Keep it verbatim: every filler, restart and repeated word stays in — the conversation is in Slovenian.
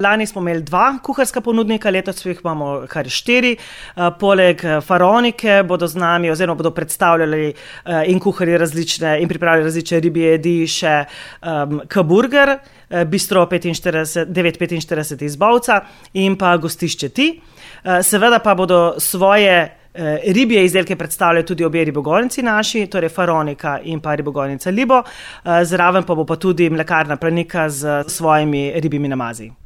Lani smo imeli dva kuharska ponudnika, letos jih imamo kar štiri. Poleg Faraonike bodo z nami oziroma bodo predstavljali in kuharji različne in pripravljali različne ribje jedi še um, K-burger, Bistro devet petinštirideset iz Bovca in pa Gostišče Ti. Seveda pa bodo svoje ribje izdelke predstavljali tudi obe ribogojnici naši, torej Faraonika in pa ribogojnica Libo. Zraven pa bo pa tudi mlekarna Planika z svojimi ribjimi namazi.